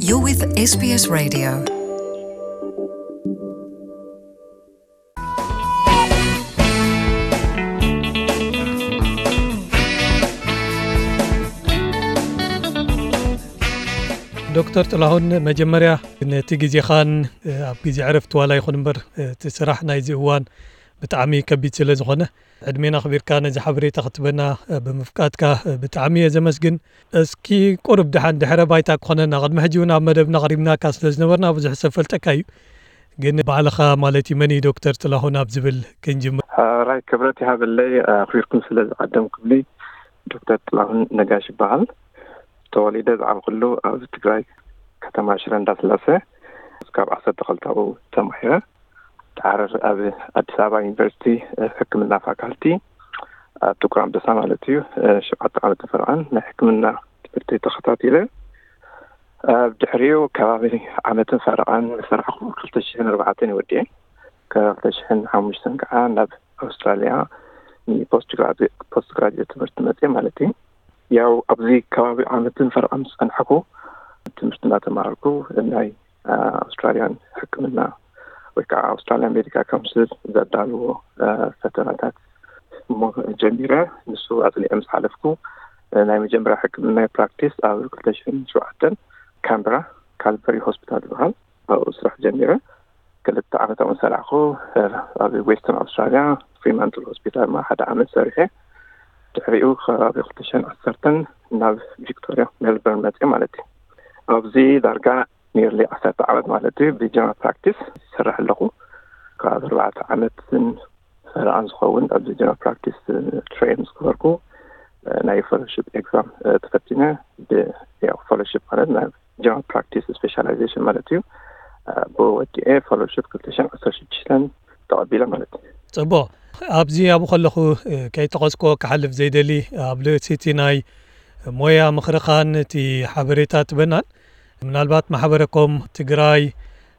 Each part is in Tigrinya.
You're with S B S Radio. ዶክተር ጥላሁን፣ መጀመርያ ነቲ ግዜኻን ኣብ ግዜ ዕረፍቲ ዋላ ይኹን እምበር እቲ ስራሕ ናይዚ እዋን ብጣዕሚ ከቢድ ስለ ዝኾነ ዕድሜና ኣኽቢርካ ነዚ ሓበሬታ ክትበና ብምፍቃድካ ብጣዕሚ እየ ዘመስግን። እስኪ ቁሩብ ደሓን ድሕረ ባይታ ክኾነና፣ ቅድሚ ሕጂ እውን ኣብ መደብና ኣቕሪብናካ ስለ ዝነበርና ብዙሕ ሰብ ፈልጠካ እዩ። ግን ባዕልኻ ማለት እዩ፣ መን እዩ ዶክተር ጥላሁን ኣብ ዝብል ክንጅምር። ሕራይ ክብረት ይሃበለይ ኣኽቢርኩም ስለ ዝዓደምኩምኒ። ዶክተር ጥላሁን ነጋሽ ይበሃል። ተወሊደ ዝዓብኩሉ ኣብ ትግራይ ከተማ ሽረ እንዳስላሰ፣ እስካብ ዓሰርተ ክልተ ተማሂረ። ድሓር ኣብ ኣዲስ ኣበባ ዩኒቨርሲቲ ሕክምና ፋካልቲ ኣብ ጥቁር ኣንበሳ ማለት እዩ፣ ሸውዓተ ዓመት ፈርቓን ናይ ሕክምና ትምህርቲ ተኸታቲለ። ኣብ ድሕሪኡ ከባቢ ዓመትን ፈረቓን ሰራሕኩ። ክልተ ሽሕን ኣርባዕተን ወዲኤ፣ ካብ ክልተ ሽሕን ሓሙሽተን ከዓ ናብ ኣውስትራልያ ንፖስት ግራጁዌት፣ ፖስት ግራጁዌት ትምህርቲ መፅየ ማለት እዩ። ያው ኣብዚ ከባቢ ዓመትን ፈረቓን ዝፀናሕኩ ትምህርቲ እናተማሃርኩ ናይ ኣውስትራልያን ሕክምና ወይ ከዓ ኣውስትራልያን ሜዲካል ካውንስል ዘዳልዎ ፈተናታት እሞ ጀሚረ። ንሱ ኣፅኒዐ ምስ ሓለፍኩ ናይ መጀመርያ ሕክምና ፕራክቲስ ኣብ ክልተ ሽሕን ሸውዓተን ካምብራ ካልበሪ ሆስፒታል ዝበሃል ኣብኡ ስራሕ ጀሚረ። ክልተ ዓመት ኣብኡ ሰራሕኩ። ኣብ ዌስተርን ኣውስትራልያ ፍሪማንትል ሆስፒታል ማ ሓደ ዓመት ሰሪሐ። ድሕሪኡ ከባቢ ክልተ ሽሕን ዓሰርተን ናብ ቪክቶሪያ ሜልበርን መፅእ ማለት እዩ። ኣብዚ ዳርጋ ኒርሊ ዓሰርተ ዓመት ማለት እዩ ብጀነራል ፕራክቲስ ይሰርሕ ኣለኹ። ካብ ኣርባዕተ ዓመትን ፈረቓን ዝኸውን ኣብዚ ጀነራል ፕራክቲስ ትሬን ዝገበርኩ፣ ናይ ፌሎሺፕ ኤግዛም ተፈቲነ። ብ-፣ ያው ፌሎሺፕ ማለት ናይ ጀነራል ፕራክቲስ ስፔሻላይዜሽን ማለት እዩ። ብወዲኤ ፌሎሺፕ ክልተ ሽሕን ዓሰርተ ሽዱሽተን ተቐቢለ ማለት እዩ። ጽቡቕ። ኣብዚ ኣብኡ ከለኹ፣ እ፣ ከይጠቐስኩዎ ክሓልፍ ዘይደሊ፣ ኣብ ልእሲቲ ናይ ሞያ ምኽርኻን እቲ ሓበሬታ ትበናን፣ ምናልባት ማሕበረኮም ትግራይ፣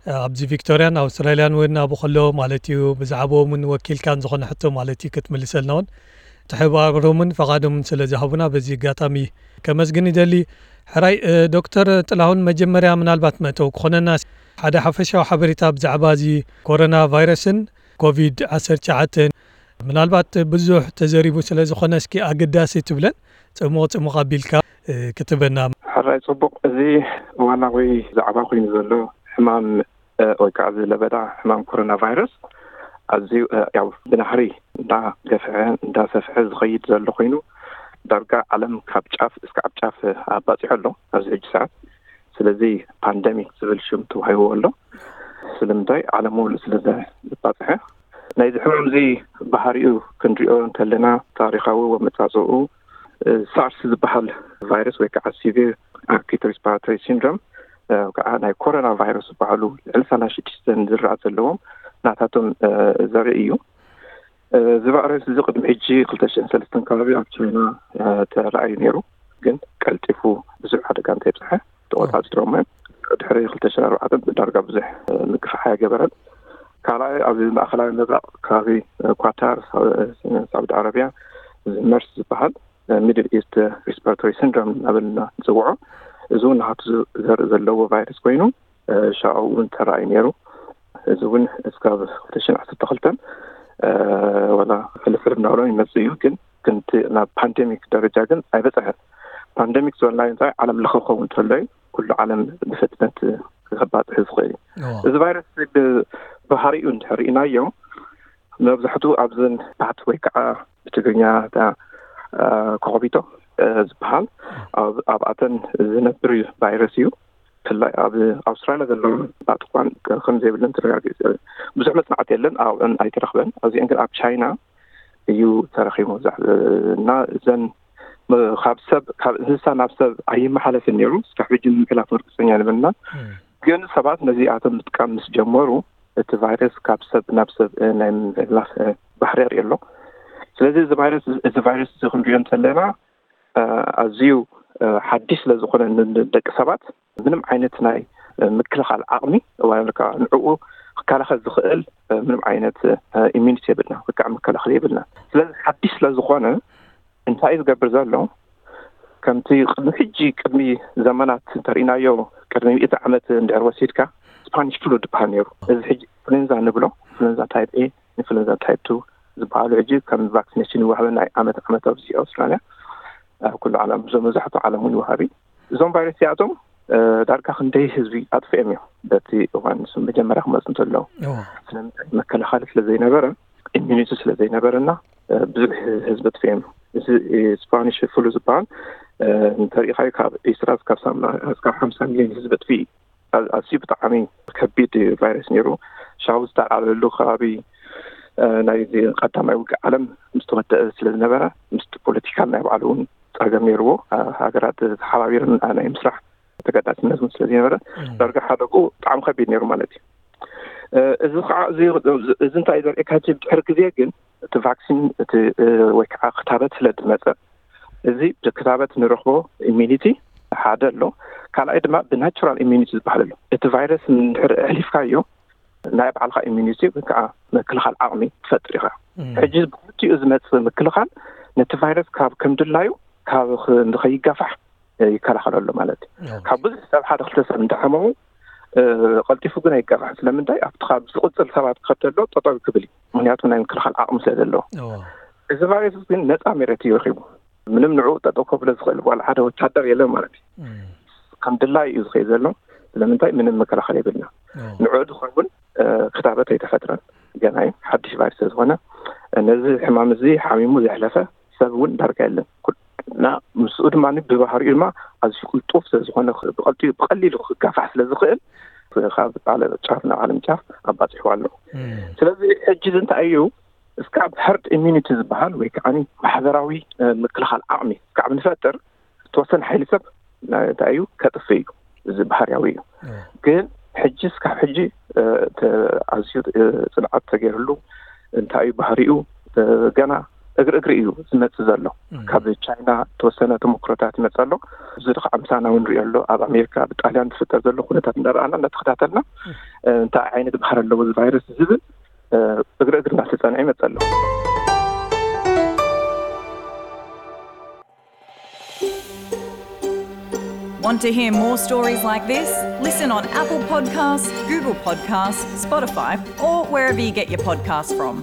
እ፣ ኣብዚ ቪክቶሪያን ኣውስትራልያን እውን ኣብኡ ከሎ ማለት እዩ፣ ብዛዕባኦም እውን ወኪልካን ዝኾነ ሕቶ ማለት እዩ ክትምልሰልና እውን ትሕባሮምን ፈቓዶምን ስለ ዝሃቡና በዚ ኣጋጣሚ ከመስግን ይደሊ። ሕራይ፣ እ፣ ዶክተር ጥላሁን፣ መጀመርያ ምናልባት መእተዊ ክኾነና ሓደ ሓፈሻዊ ሓበሬታ ብዛዕባ እዚ ኮሮና ቫይረስን ኮቪድ ዓሰርተ ትሽዓተ ምናልባት ብዙሕ ተዘሪቡ ስለ ዝኾነ እስኪ ኣገዳሲ ትብለን ጽሙቕ ጽሙቕ ኣቢልካ፣ እ፣ ክትበና። ሕራይ ጽቡቕ። እዚ ዋና ወይ ዛዕባ ኮይኑ ዘሎ ሕማም፣ እ፣ ወይ ከዓ እዚ ለበዳ ሕማም ኮሮና ቫይረስ ኣዝዩ፣ እ፣ ያው ብናህሪ እንዳገፍሐ እንዳሰፍሐ ዝኸይድ ዘሎ ኮይኑ ዳርጋ ዓለም ካብ ጫፍ እስካብ ጫፍ ኣባፂሑ ኣሎ ኣብዚ ሕጂ ሰዓት። ስለዚ ፓንደሚክ ዝብል ሽም ተዋሂብዎ ኣሎ። ስለምንታይ? ዓለም ሙሉእ ስለ ዘባፅሐ። ናይዚ ሕማም እዚ ባህሪኡ ክንሪኦ እንተለና ታሪኻዊ ኣመፃፅኡ፣ እ፣ ሳርስ ዝበሃል ቫይረስ ወይ ከዓ ሲቪር ኣኪዩት ሪስፓራቶሪ ሲንድሮም፣ እ፣ ከዓ ናይ ኮሮና ቫይረስ ዝበሃሉ ልዕሊ ሰላሳ ሽዱሽተ ዝርኣ ዘለዎም ናታቶም፣ እ፣ ዘርኢ እዩ። እ፣ እዚ ቫይረስ እዚ ቅድሚ ሕጂ ክልተ ሽሕን ሰለስተን ከባቢ ኣብ ቻይና፣ እ፣ ተራእዩ ነይሩ፣ ግን ቀልጢፉ ብዙሕ ሓደጋ እንተየብፅሐ ተቆፃፂሮሞ እዮም። ድሕሪ ክልተ ሽሕን ኣርባዕተን ብዳርጋ ብዙሕ፣ እ፣ ምግፋሕ ኣይገበረን። ካልኣይ ኣብ ማእኸላዊ ምብራቕ ከባቢ፣ እ፣ ኳታር፣ ሳ-፣ እ፣ ሳዑዲ ዓረብያ እዚ መርስ ዝበሃል ሚድል ኢስት ሪስፓራቶሪ ሲንድሮም እናበልና ንፅውዖ። እዚ እውን ናቱ ዘርኢ ዘለዎ ቫይረስ ኮይኑ፣ እ፣ ሻዑ እውን ተራእዩ ነይሩ። እዚ እውን እስካብ ክልተ ሽሕን ዓሰርተ ክልተን፣ እ፣ ዋላ ሕልፍሕል እናበሎ ይመፅእ እዩ፣ ግን ክንቲ ናብ ፓንደሚክ ደረጃ ግን ኣይበፅሐን። ፓንደሚክ ዝበልናዮ እንታይ ዓለም ለኸ ክኸውን እንተሎ እዩ፣ ኩሉ ዓለም ብፍጥነት ክባፅሕ ዝኽእል እዩ። እዎ። እዚ ቫይረስ ብ-፣ ባህሪኡ እንድሕር ርኢናዮ፣ መብዛሕትኡ ኣብዘን ፓት ወይ ከዓ ብትግርኛ እታ፣ እ፣ ኮኾቢቶ፣ እ፣ ዝበሃል ኣብ-፣ ኣብኣተን ዝነብር ቫይረስ እዩ። ብፍላይ ኣብ ኣውስትራልያ ዘሎ ፓት እኳን ከም ዘይብለን ተረጋጊጹ። ብዙሕ መጽናዕቲ የለን፣ ኣብአን ኣይተረኽበን። ኣብዚአን ግን ኣብ ቻይና እዩ ተረኺቡ። ዛ-፣ እና እዘን ም-፣ ካብ ሰብ፣ ካብ እንስሳ ናብ ሰብ ኣይመሓለፍን ነይሩ። እስካብ ሕጂ ንምሕላፍ ርግጸኛ ንብልና። እም። ግን ሰባት ነዚኣቶም ምጥቃም ምስ ጀመሩ፣ እቲ ቫይረስ ካብ ሰብ ናብ ሰብ፣ እ፣ ናይ ምሕላፍ፣ እ፣ ባህሪ የርኢ ኣሎ። ስለዚ እዚ ቫይረስ፣ እዚ ቫይረስ እዚ ክንሪኦ እንተለና፣ እ፣ ኣዝዩ፣ እ፣ ሓድሽ ስለ ዝኾነ ን-፣ ንደቂ ሰባት ምንም ዓይነት ናይ፣ እ፣ ምክልኻል ዓቕሚ ወይ ከዓ ንዕኡ ክከላኸል ዝኽእል፣ እ፣ ምንም ዓይነት፣ እ፣ ኢሚኒቲ የብልና ወይ ከዓ መከላኸሊ የብልና። ስለዚ ሓድሽ ስለ ዝኾነ እንታይ እዩ ዝገብር ዘሎ? ከምቲ ቅድሚ ሕጂ፣ ቅድሚ ዘመናት እንተርኢናዮ፣ ቅድሚ ሚእቲ ዓመት እንድሕር ወሲድካ ስፓኒሽ ፍሉ ዝበሃል ነይሩ። እዚ ሕጂ ፍሉንዛ ንብሎ፣ ፍሉንዛ ታይፕ ኤ ንፍሉንዛ ታይፕ ቱ ዝበሃሉ ሕጂ ከም ቫክሲኔሽን ይወሃበና እዩ። ዓመት ዓመት ኣብዚ ኣውስትራልያ፣ ኣብ ኩሉ ዓለም፣ እዞም መብዛሕትኡ ዓለም እውን ይወሃብ እዩ። እዞም ቫይረስ እዚኣቶም ዳርጋ ክንደይ ህዝቢ ኣጥፍኦም እዮም። በቲ እዋን መጀመርያ ክመፁ እንተለዉ ስለምንታይ? መከላኸሊ ስለዘይነበረ፣ ኢሚኒቲ ስለዘይነበረና ብዙሕ ህዝቢ ኣጥፍኦም። እዚ ስፓኒሽ ፍሉ ዝበሃል እንተሪኢኻዮ ካብ ዒስራ እስካብ ሓምሳ ሚሊዮን ህዝቢ ኣጥፍኡ። ኣዝዩ ብጣዕሚ ከቢድ ቫይረስ ነይሩ። ሻቡ ዝተልዓለሉ ከባቢ ናይ ቀዳማይ ውግእ ዓለም ምስ ተወደአ ስለዝነበረ፣ ምስቲ ፖለቲካል ናይ ባዕሉ እውን ፀገም ነይርዎ። ሃገራት ተሓባቢረን ናይ ምስራሕ ተገዳስነት እውን ስለዝነበረ፣ ዳርጋ ሓደጉ ብጣዕሚ ከቢድ ነይሩ ማለት እዩ። እዚ ከዓ እዚ እንታይ ዘርእካ? ድሕሪ ግዜ ግን እቲ ቫክሲን ወይ ከዓ ክታበት ስለ ዝመፀ፣ እዚ ክታበት ንረኽቦ ኢሚኒቲ ሓደ ኣሎ። ካልኣይ ድማ ብናቹራል ኢሚኒቲ ዝበሃል ኣሎ። እቲ ቫይረስ እንድሕር ኣሕሊፍካዮ፣ ናይ ባዕልካ ኢሚኒቲ ወይ ከዓ ምክልኻል ዓቕሚ ትፈጥር ኢኻ። ሕጂ ብክልቲኡ ዝመፅእ ምክልኻል ነቲ ቫይረስ ካብ ከም ድላዩ ካብ ንኸይጋፋሕ ይከላኸለሉ ማለት እዩ። ካብ ብዙሕ ሰብ ሓደ ክልተ ሰብ እንዳሓመሙ ቀልጢፉ ግን ኣይጋፋሕን። ስለምንታይ? ኣብቲ ካብ ዝቕፅል ሰባት ክኸድ ተሎ ጠጠው ክብል እዩ። ምክንያቱ ናይ ምክልኻል ዓቕሚ ስለ ዘለዎ። እዚ ቫይረስ ግን ነፃ መሬት እዩ ረኪቡ። ምንም ንዕኡ ጠጠው ከብሎ ዝኽእል ዋላ ሓደ ወታደር የለን ማለት እዩ። ከም ድላይ እዩ ዝኸይ ዘሎ። ስለምንታይ? ምንም መከላኸሊ የብልና። ንዕኡ ዝኸውን ክታበት ኣይተፈጥረን። ገና እዩ፣ ሓድሽ ቫይረስ ስለዝኾነ። ነዚ ሕማም እዚ ሓሚሙ ዘሕለፈ ሰብ እውን ዳርጋ የለን። እና ምስኡ ድማ ብባህሪኡ ድማ ኣዝዩ ቅልጡፍ ስለዝኾነ፣ ብቐሊሉ ክጋፋሕ ስለዝኽእል ካብ ዓለም ጫፍ ናብ ዓለም ጫፍ ኣባፂሕዋ ኣሎ። ስለዚ ሕጂ እዚ እንታይ እዩ? እስካብ ሀርድ ኢሚኒቲ ዝበሃል ወይ ከዓ ማሕበራዊ ምክልኻል ዓቕሚ እስካብ ንፈጥር፣ ዝተወሰነ ሓይሊ ሰብ እንታይ እዩ? ከጥፍእ እዩ። እዚ ባህርያዊ እዩ። ግን ሕጂ እስካብ ሕጂ ኣዝዩ ፅንዓት ተገይርሉ፣ እንታይ እዩ ባህሪኡ? ገና እግሪ እግሪ እዩ ዝመፅእ ዘሎ። ካብ ቻይና ዝተወሰነ ተሞክሮታት ይመፅእ ኣሎ። እዚ ከዓ ምሳና እውን ንሪኦ ኣሎ። ኣብ ኣሜሪካ ብጣልያን ዝፍጠር ዘሎ ኩነታት እንዳረኣና እንዳተኸታተልና፣ እንታይ ዓይነት ባህሪ ኣለዎ እዚ ቫይረስ ዝብል እግሪ እግሪ እናተፀንዐ ይመፅእ ኣሎ። Want to hear more stories like this? Listen on Apple Podcasts, Google Podcasts, Spotify, or wherever you get your podcasts from.